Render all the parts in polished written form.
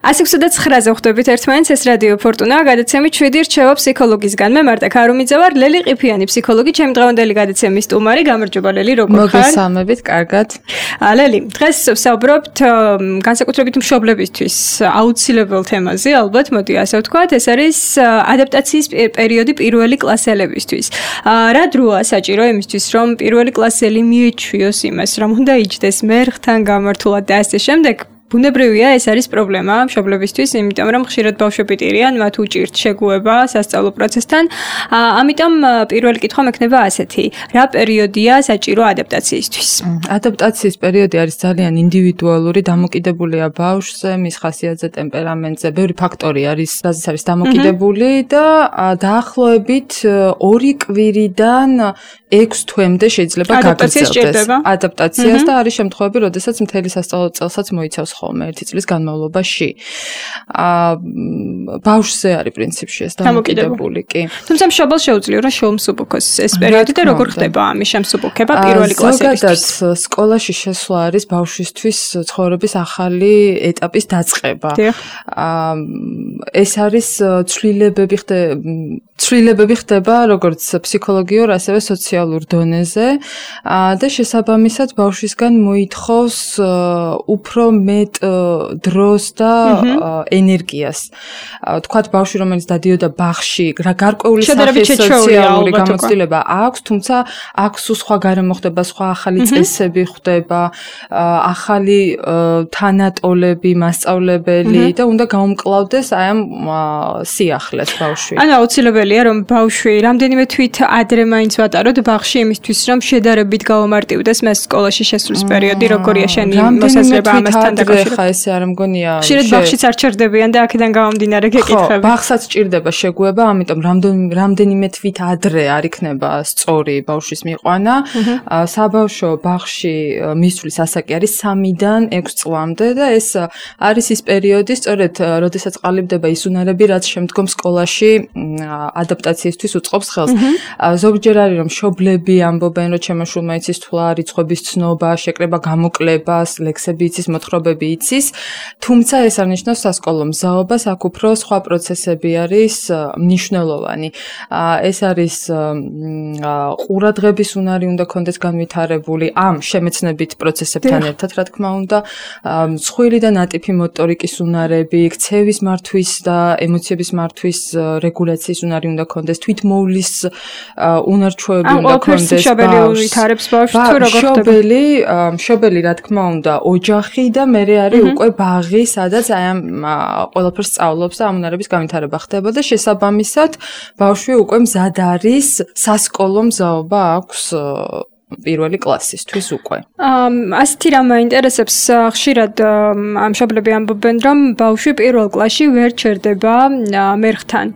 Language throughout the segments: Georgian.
109-ზე ხვდებით ერთმანეთს, ეს რადიო ფორტუნა, გადაცემით 7 რჩევა ფსიქოლოგისგან. მე მარტა ქარუმიძე ვარ, ლელი ყიფიანი ფსიქოლოგი, ჩემი დღევანდელი გადაცემის სტუმარი. გამარჯობა ლელი, როგორ ხარ? მოგესალმებით, კარგად. ლელი, დღეს ვსაუბრობთ განსაკუთრებით მშობლებისთვის აუცილებელ თემაზე, ალბათ, მოდი ასე ვთქვათ, ეს არის ადაპტაციის პერიოდი პირველი კლასელებისთვის. რა დროა საჭირო იმისთვის, რომ პირველი კლასელი მიეჩვიოს იმას, რომ უნდა იჯდეს მერხთან გამართულად და ასე შემდეგ. ბუნებრივია, ეს არის პრობლემა მშობლებისთვის, იმიტომ რომ ხშირად ბავშვები ტირიან, მათ უჭირთ შეგუება სასწავლო პროცესთან. ამიტომ პირველი კითხვა მექნება ასეთი: რა პერიოდია საჭირო ადაპტაციისთვის? ადაპტაციის პერიოდი არის ძალიან ინდივიდუალური, დამოკიდებულია ბავშვზე, მის ხასიათზე, ტემპერამენტზე, ბევრი ფაქტორი არის, რაზეც არის დამოკიდებული და დაახლოებით 2 კვირიდან 6 თვემდე შეიძლება გაგრძელდეს ადაპტაციას და არის შემთხვევები, როდესაც მთელი სასწავლო წელსაც მოიცავს ხოლმე 1 წლის განმავლობაში. ბავშვზე არის პრინციპში ეს დამოკიდებული კი. თუმცა მშობელს შეუძლია რომ შეუმსუბუქოს ეს პერიოდი და როგორ ხდება ამის შემსუბუქება პირველი კლასებისთვის? ზოგადად სკოლაში შესვლა არის ბავშვისთვის ცხოვრების ახალი ეტაპის დაწყება. ეს არის ცვლილებები ხდება როგორც ფსიქოლოგიურ, ასევე სოციალურ დონეზე და შესაბამისად ბავშვისგან მოითხოვს უფრო მეტ დროს და ენერგიას. თქვათ ბავშვი რომელიც დადიოდა ბაღში, გარკვეული სახის სოციალური გამოცდილება აქვს, თუმცა აქვს სხვა გარემო ხდება, სხვა ახალი წესები ხდება, ახალი თანატოლები, მასწავლებელი და უნდა გაუმკლავდეს აი ამ სიახლეს ბავშვი. ანუ აუცილებელია რომ ბავშვი რამდენიმე თვით ადრე მაინც ვატაროთ ბაღში იმისთვის რომ შედარებით გაუმარტივდეს მას სკოლაში შესვლის პერიოდი, როგორია შენი მოსაზრება ამასთან დაკავშირებით? ხა ესე არ მგონია. ხშირად ბაღშიც არ ჩერდებიან და აქედან გამომდინარე გეკითხები. ხო, ბაღსაც ჭირდება შეგუება, ამიტომ რამდენიმე თვით ადრე არ იქნება სწორი ბავშვის მიყვანა. საბავშვო ბაღში მისვლის ასაკი არის 3-დან 6 წლამდე და ეს არის ის პერიოდი, სწორედ როდესაც ყალიბდება ის უნარები, რაც შემდგომ სკოლაში ადაპტაციისთვის უწყობს ხელს. ზოგჯერ არის რომ მშობლები ამბობენ, რომ ჩემო შვილმა იცის თვლა, რიცხვების ცნობა, შეკრება გამოკლებას, ლექსები იცის, მოთხრობები იცის, თუმცა ეს არ ნიშნავს სასკოლო მზაობას, აქ უფრო სხვა პროცესები არის მნიშვნელოვანი. ეს არის ყურადღების უნარი უნდა კონდეს განვითარებული ამ შემეცნებით პროცესებთან ერთად, რა თქმა უნდა, მსხვილი და ნატიფი მოტორიკის უნარები, ქცევის მართვის და ემოციების მართვის რეგულაციის უნარი უნდა კონდეს, თვითმოვლის უნარჩვევები უნდა კონდეს. მშობელი ვითარებს ბავშვს თუ როგორ ხდება? მშობელი რა თქმა უნდა, ოჯახი და მე არის უკვე ბაღი, სადაც აი ამ ყველაფერს სწავლობს და ამ უნარების განვითარება ხდება და შესაბამისად ბავშვი უკვე მზად არის, სასკოლო მზაობა აქვს პირველი კლასისთვის უკვე. ასეთი რამ მაინტერესებს, ხშირად მშობლები ამბობენ, რომ ბავშვი პირველ კლასში ვერ ჩერდება მერხთან.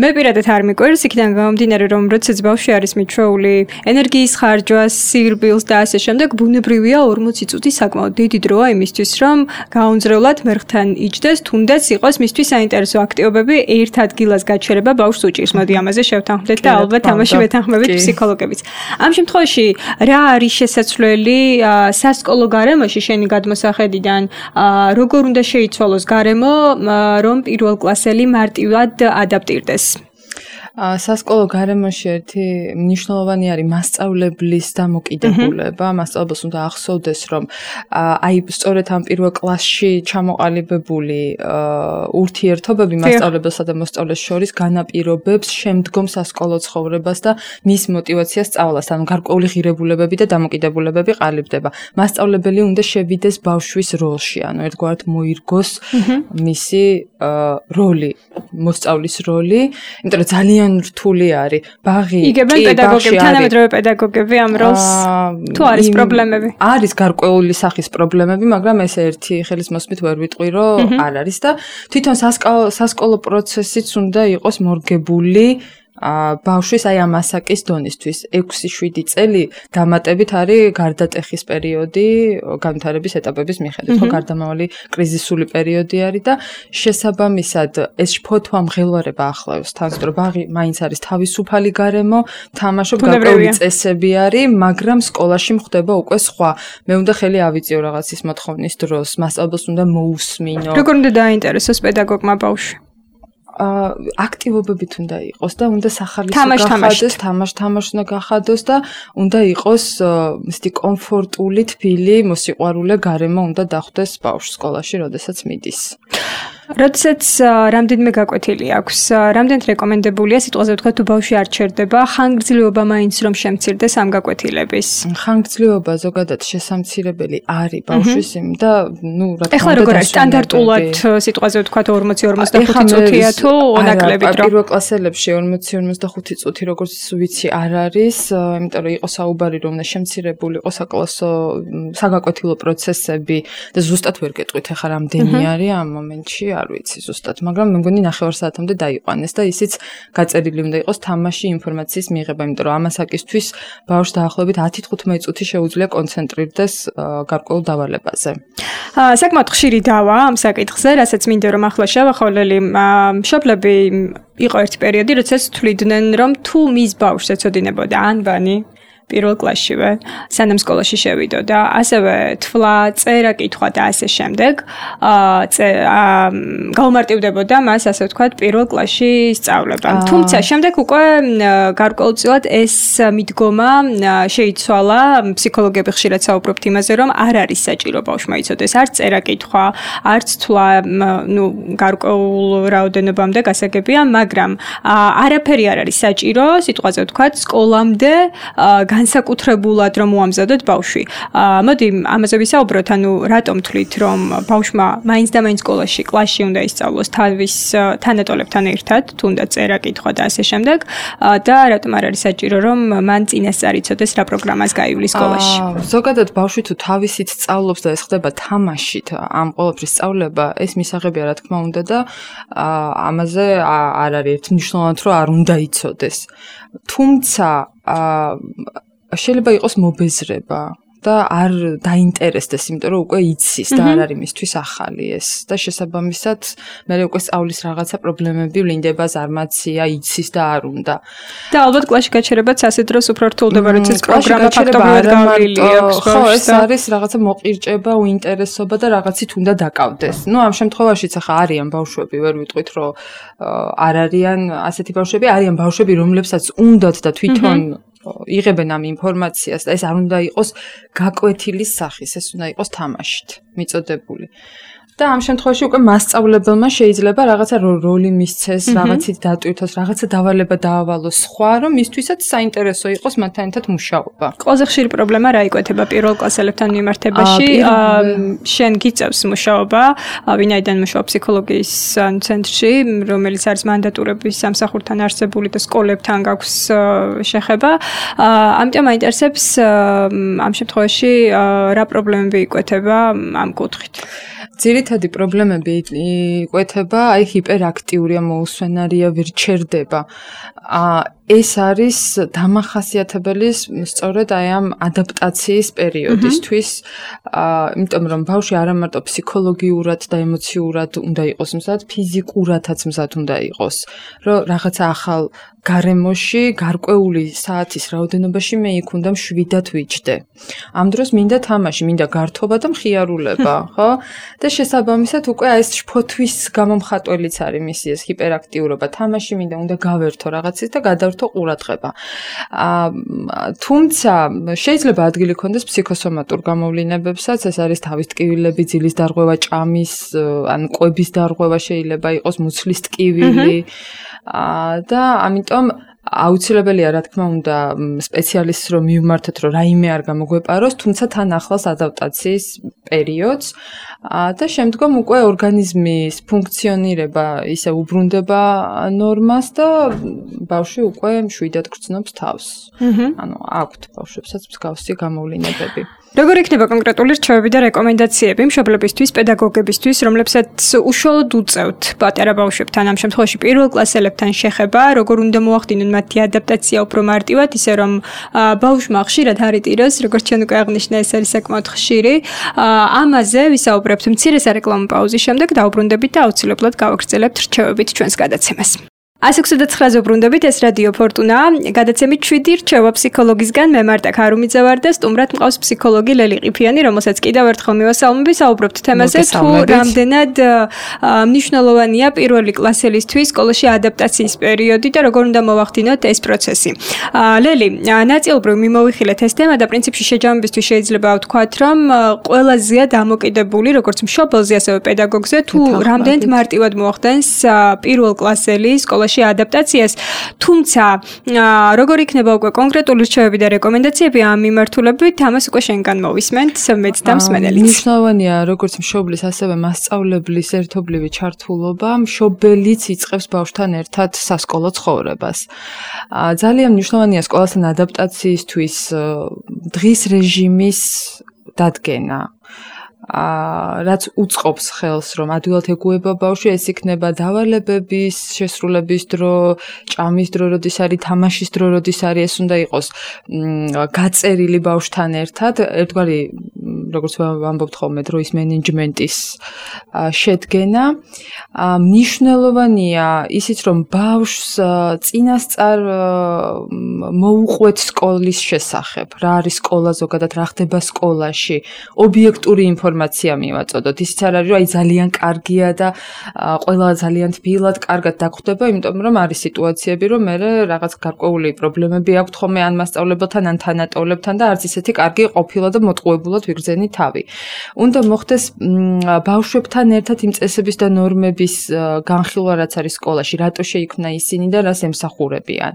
მე პირადად არ მიყვარს, იქიდან გამომდინარე, რომ როდესაც ბავშვი არის მიჩვეული ენერგიის ხარჯვას, სირბილს და ასე შემდეგ, ბუნებრივია 40 წუთი საკმაოდ დიდი დროა იმისთვის, რომ გაუნձრევლად მერხთან იჯდეს, თუნდაც იყოს მისთვის საინტერესო აქტივობები, ერთ ადგილას გაჩერება ბავშვს უჭირს. მოდი ამაზე შევთანხმდეთ და ალბათ ამაში ვეთანხმებით ფსიქოლოგებიც. ამ შემთხვევაში რა არის შესაძლებელი სასკოლო გარემოში შენი გადმოსახედიდან, როგორ უნდა შეიცვალოს გარემო, რომ პირველ კლასელი მარტივად ადაპტირდეს? სასკოლო გარემოში ერთი მნიშვნელოვანი არის მასწავლებლის დამოკიდებულება. მასწავლებელს უნდა ახსოვდეს, რომ აი სწორედ ამ პირველ კლასში ჩამოყალიბებული ურთიერთობები მასწავლებელსა და მოსწავლეს შორის განაპირობებს შემდგომ სასკოლო ცხოვრებას და მის მოტივაციას სწავლას, ანუ გარკვეული ღირებულებები და დამოკიდებულებები ყალიბდება. მასწავლებელი უნდა შევიდეს ბავშვის როლში, ანუ ერთგვარად მოირგოს მისი როლი, მოსწავლის როლი, იმიტომ რომ ძალიან რთული არის. ბაღი იგებენ პედაგოგები, თანამედროვე პედაგოგები ამ როლს. თუ არის პრობლემები? არის გარკვეული სახის პრობლემები, მაგრამ ეს ერთი ხელის მოსმით ვერ ვიტყვი, რომ არ არის და თვითონ სასკოლო პროცესიც უნდა იყოს მორგებული ბავშვის აი ამ ასაკის დონისთვის 6-7 წელი დამატებით არის გარდატეხის პერიოდი განვითარების ეტაპების მიხედვით, ხო, გარდამავალი კრიზისული პერიოდი არის და შესაბამისად ეს შფოთვა მღელვარება ახლავს თავს, რომ ბაღი მაინც არის თავისუფალი გარემო, თამაშობ გარკვეული წესები არის, მაგრამ სკოლაში მხდება უკვე სხვა. მე უნდა ხელი ავიწიო რაღაც ის მოთხოვნის დროს, მასწავლებელს უნდა მოусმინო. როგორ უნდა დაინტერესოს პედაგოგმა ბავშვი? აქტივობებით უნდა იყოს და უნდა სახალისო გახადოს, თამაშ უნდა გახადოს და უნდა იყოს ისეთი კომფორტული, თბილი, მოსიყვარულე გარემო უნდა დახვდეს ბავშვს სკოლაში, როდესაც მიდის. როდესაც რამდენიმე გაკვეთილი აქვს, რამდენად რეკომენდებულია სიტყვაზე ვთქვა თუ ბავშვი არ ჩერდება, ხანგრძლივობა მაინც რომ შემცირდეს ამ გაკვეთილების. ხანგრძლივობა ზოგადად შესამცირებელი არის ბავშვის და ნუ რა თქმა უნდა ეხლა როგორ არის სტანდარტულად სიტყვაზე ვთქვა 40-45 წუთია თუ ნაკლებით რომ პირველკლასელებში 40-45 წუთი როგორც ვიცი არ არის, იმიტომ რომ იყო საუბარი რომ უნდა შემცირებული იყოს საკლასო საგაკვეთილო პროცესები და ზუსტად ვერ გეტყვით ეხლა რამდენი არის ამ მომენტში არ ვიცი ზუსტად, მაგრამ მე მგონი 9 საათამდე დაიყვანეს და ისიც გაწერილი უნდა იყოს თამაში ინფორმაციის მიღება, იმიტომ რომ ამასაკისთვის ბავშვს დაახლოებით 10-15 წუთი შეუძლია კონცენტრირდეს გარკვეულ დავალებაზე. საკმაოდ ხშირი დავა ამ საკითხზე, რასაც მინდა რომ ახლა შევახოლელი მშობლები იყო ერთი პერიოდი, როდესაც თვლიდნენ რომ თუ მის ბავშვს ეცოდინებოდა ანბანი პირველ კლასშივე, სანამ სკოლაში შევიდოდა, ასევე თვლა, წერა, კითხვა და ასე შემდეგ, გაუმარტივდებოდა მას, ასე ვთქვათ, პირველ კლასში სწავლება. თუმცა შემდეგ უკვე გარკვეულწილად ეს მიდგომა შეიცვალა, ფსიქოლოგები ხშირად საუბრობთ იმაზე, რომ არ არის საჭირო ბავშვმა იცოდეს არც წერა, კითხვა, არც თვლა, ნუ გარკვეულ რაოდენობამდე გასაგებია, მაგრამ არაფერი არ არის საჭირო, სიტყვაზე ვთქვათ, სკოლამდე განსაკუთრებულად რომ მოამზადოთ ბავშვი. მოდი ამაზე ვისაუბროთ, ანუ რატომ თვლით რომ ბავშვმა მაინც და მაინც სკოლაში, კლასში უნდა ისწავლოს თავის თანატოლებთან ერთად, თუნდაც წერა, კითხვა და ასე შემდეგ და რატომ არ არის საჭირო რომ მან წინასწარ იცოდეს რა პროგრამას გაივლის სკოლაში. ზოგადად ბავშვი თუ თავისით სწავლობს და ეს ხდება თამაშით, ამ ყოველფრის სწავლება, ეს მისაღებია რა თქმა უნდა და ამაზე არ არის ერთმნიშვნელოვნად რომ არ უნდა იცოდეს. თუმცა შეიძლება იყოს მობეზრება და არ დაინტერესდეს, იმიტომ რომ უკვე იცის და არ არის მისთვის ახალი ეს და შესაბამისად მე უკვე სწავლის რაღაცა პრობლემები ვლინდება, ზარმაცია, იცის და არ უნდა. და ალბათ კლასში გაჩერებაც ასე დროს უფრო რთულდება, როდესაც პროგრამა ფაქტობრივად გავლილი აქვს. ხო, ეს არის რაღაცა მოყირჭება, უინტერესობა და რაღაცით უნდა დაკავდეს. ნუ ამ შემთხვევაშიც ახლა არიან ბავშვები, ვერ ვიტყვით რომ არ არიან ასეთი ბავშვები, არიან ბავშვები, რომლებსაც უნდათ და თვითონ იღებენ ამ ინფორმაციას და ეს არ უნდა იყოს გაკვეთილის სახის, ეს უნდა იყოს თამაშით მიწოდებული. და ამ შემთხვევაში უკვე მასწავლებელმა შეიძლება რაღაცა როლი მისცეს, რაღაცით დატვირთოს, რაღაცა დავალება დაავალოს სხვა, რომ მისთვისაც საინტერესო იყოს მათთან ერთად მუშაობა. ყველაზე ხშირი პრობლემა რა იკვეთება პირველკლასელებთან მიმართებაში? შენ გიწევს მუშაობა, ვინაიდან მუშაობ ფსიქოლოგიის ცენტრში, რომელიც არის მანდატურების სამსახურთან არსებული და სკოლებთან გაქვს შეხება. ამიტომ მაინტერესებს ამ შემთხვევაში რა პრობლემები იკვეთება ამ კუთხით? ძირითადი პრობლემები იკვეთება, აი ჰიპერაქტიურია, მოუსვენარია, ვერ ჩერდება. ეს არის დამახასიათებელი სწორედ აი ამ ადაპტაციის პერიოდისთვის, იმიტომ რომ ბავშვი არა მარტო ფსიქოლოგიურად და ემოციურად უნდა იყოს მზად, ფიზიკურადაც მზად უნდა იყოს, რომ რაღაცა ახალ გარემოში, გარკვეული საათის რაოდენობაში მე იქ უნდა მშვიდად ვიჯდე. ამ დროს მინდა თამაში, მინდა გართობა და მხიარულება, ხო? და შესაბამისად უკვე ეს შფოთვის გამომხატველიც არის მისი ეს ჰიპერაქტიურობა, თამაში მინდა, უნდა გავერთო რაღაცის და გადავერთო ყურადღება. თუმცა შეიძლება ადგილი ქონდეს ფსიქოსომატურ გამოვლინებებსაც, ეს არის თავის ტკივილები, ძილის დარღვევა, ჭამის, ან კვების დარღვევა შეიძლება იყოს, მუცლის ტკივილი და ამიტომ აუცილებელია რა თქმა უნდა სპეციალისტს რომ მივმართოთ რომ რაიმე არ გამოგვეპაროს, თუმცა თან ახლავს ადაპტაციის პერიოდს და შემდგომ უკვე ორგანიზმის ფუნქციონირება ისე უბრუნდება ნორმას და ბავშვი უკვე მშვიდად გრძნობს თავს. ანუ აქვთ ბავშვებსაც მსგავსი გამოვლინებები. როგორ იქნება კონკრეტული რჩევები და რეკომენდაციები მშობლებისთვის, პედაგოგებისთვის, რომლებსაც უშუალოდ უწევთ პატარა ბავშვებთან, ამ შემთხვევაში პირველ კლასელებთან შეხება, როგორ უნდა მოახდინონ მათი ადაპტაცია უფრო მარტივად, ისე რომ ბავშვმა ხშირად არ იტიროს, როგორც ჩვენ უკვე აღნიშნა, ეს არის საკმაოდ ხშირი. ამაზე ვისაუბრებთ მცირე სარეკლამო პაუზის შემდეგ, დაუბრუნდებით და აუცილებლად გავაგრძელებთ რჩევებით ჩვენს გადაცემას. 169-ზე უბრუნდებით, ეს რადიო ფორტუნა. გადაცემით 7 რჩევა ფსიქოლოგისგან. მე მარტა ქარუმიძე ვარ და სტუმრად მყავს ფსიქოლოგი ლელი ყიფიანი, რომელსაც კიდევ ერთხელ მივასალმები, საუბრობთ თემაზე, თუ რამდენად მნიშვნელოვანია პირველი კლასელისთვის სკოლაში ადაპტაციის პერიოდი და როგორ უნდა მოვახდინოთ ეს პროცესი. ლელი, ნაწილობრივ მიმოვიხილეთ ეს თემა და პრინციპში შეჯამებისთვის შეიძლება ვთქვათ, რომ ყველაზეა დამოკიდებული, როგორც მშობელზე, ასევე პედაგოგზე, თუ რამდენად მარტივად მოახდენს პირველ კლასელი სკოლაში ადაპტაციას, თუმცა როგორ იქნება უკვე კონკრეტული რჩევები და რეკომენდაციები ამ მიმართულებით, ამას უკვე შენგან მოვისმენთ, მეც და მსმენელიც. მნიშვნელოვანია როგორც მშობლის, ასევე მასწავლებლის ერთობლივი ჩართულობა, მშობელიც იწყებს ბავშვთან ერთად სასკოლო ცხოვრებას. ძალიან მნიშვნელოვანია სკოლასთან ადაპტაციისთვის დღის რეჟიმის დადგენა. რაც უწყობს ხელს, რომ ადვილად ეგუება ბავშვი, ეს იქნება დავალებების, შესრულების დრო, ჭამის დრო, როდის არის, თამაშის დრო, როდის არის, ეს უნდა იყოს გაწერილი ბავშვთან ერთად, ერთგვარი, როგორც ვამბობთ ხოლმე, დროის მენეჯმენტის შედგენა. მნიშვნელოვანია ისიც, რომ ბავშვს წინასწარ მოუყვეთ სკოლის შესახებ, რა არის სკოლა ზოგადად, რა ხდება სკოლაში, ობიექტური ინფორმაცია მივაწოდოთ. ისიც არ არის, რომ აი ძალიან კარგია და ყველა ძალიან თბილად, კარგად დაგვხვდება, იმიტომ რომ არის სიტუაციები, რომ მე რაღაც გარკვეული პრობლემები აქვთ ხოლმე ან მასწავლებელთან, ან თანატოლებთან და არც ისეთი კარგი ყოფილა და მოტყუებულად ვიგრძენი თავი. უნდა მოხდეს ბავშვებთან ერთად იმ წესების და ნორმების განხილვა, რაც არის სკოლაში, რატო შეიქმნა ისინი და რას ემსახურებიან.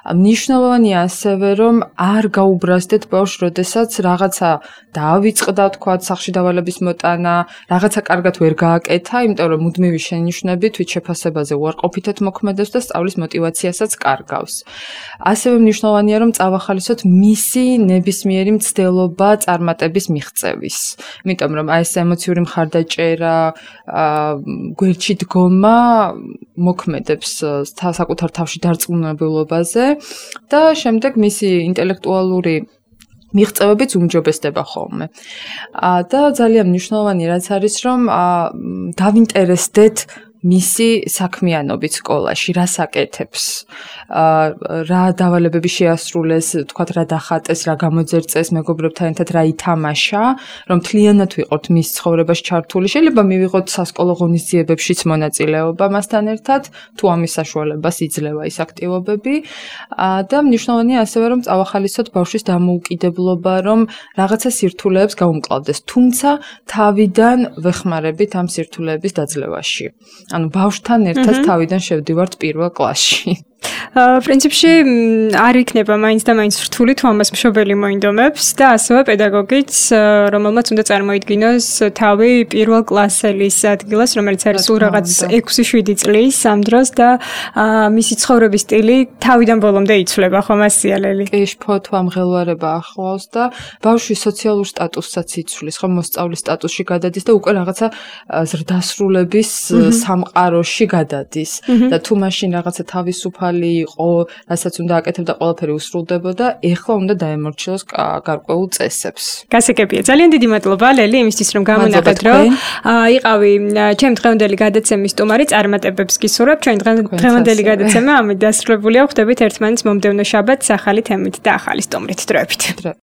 მნიშვნელოვანია ასევე, რომ არ გაუბრაზდეთ ბავშვს, როდესაც რაღაცა დაავიწყდა, თქვა, სახლში დავალების მოტანა, რაღაცა კარგად ვერ გააკეთა, იმიტომ რომ მუდმივი შენიშვნები თვით შეფასებაზე უარყოფითად მოქმედებს და სწავლის мотиваციასაც კარგავს. ასევე მნიშვნელოვანია, რომ წავახალისოთ მისი ნებისმიერი მცდელობა წარმატების მიღწევის. იმიტომ რომ აი ეს ემოციური მხარდაჭერა, გვერდში დგომა მოქმედებს საკუთარ თავში დარწმუნებულობაზე და შემდეგ მისი ინტელექტუალური მიღწევებიც უმჯობესდება ხოლმე. და ძალიან მნიშვნელოვანი რაც არის, რომ დავინტერესდეთ მისი საქმიანობით სკოლაში, რას აკეთებს, რა დავალებები შეასრულეს, თქვათ რა დახატეს, რა გამოძერწეს, მეგობრებთან ერთად რა ითამაშა, რომ მთლიანად ვიყოთ მის ცხოვრებაში ჩართული. შეიძლება მივიღოთ სასკოლო ღონისძიებებშიც მონაწილეობა მასთან ერთად, თუ ამის საშუალებას იძლევა ის აქტივობები. და მნიშვნელოვანია ასევე, რომ წავახალისოთ ბავშვის დამოუკიდებლობა, რომ რაღაცა სირთულეებს გაუმკლავდეს, თუმცა თავიდან ვეხმარებით ამ სირთულეების დაძლევაში. ანუ ბავშვთან ერთად თავიდან შევდივართ პირველ კლასში. პრინციპში არ იქნება მაინც და მაინც რთული თუ ამას მშობელი მოინდომებს და ასევე პედაგოგიც, რომელმაც უნდა წარმოიდგინოს თავი პირველ კლასელის ადგილას, რომელიც არის სულ რაღაც 6-7 წლის ამ დროს და მისი ცხოვრების სტილი თავიდან ბოლომდე იცვლება, ხომ ასია ლელი? კი, შფოთვა, მღელვარება ახლავს და ბავშვის სოციალურ სტატუსსაც იცვლის, ხომ მოსწავლის სტატუსში გადადის და უკვე რაღაცა ზრდასრულების სამყაროში გადადის და თუ მაშინ რაღაცა თავისუფალი იყო, რასაც უნდა აკეთებდა, ყველაფერი უსრულდებოდა, ეხლა უნდა დაემორჩილოს გარკვეულ წესებს. გასაგებია. ძალიან დიდი მადლობა ლელი იმისთვის, რომ გამონახეთ, რომ იყავი ჩემ დღევანდელი გადაცემის სტუმარი, წარმატებებს გისურვებ. ჩვენ დღევანდელი გადაცემა ამით დასრულებულია. ხვდებით ერთმანეთს მომდევნო შაბათს ახალი თემით და ახალი სტუმრით. დროებით.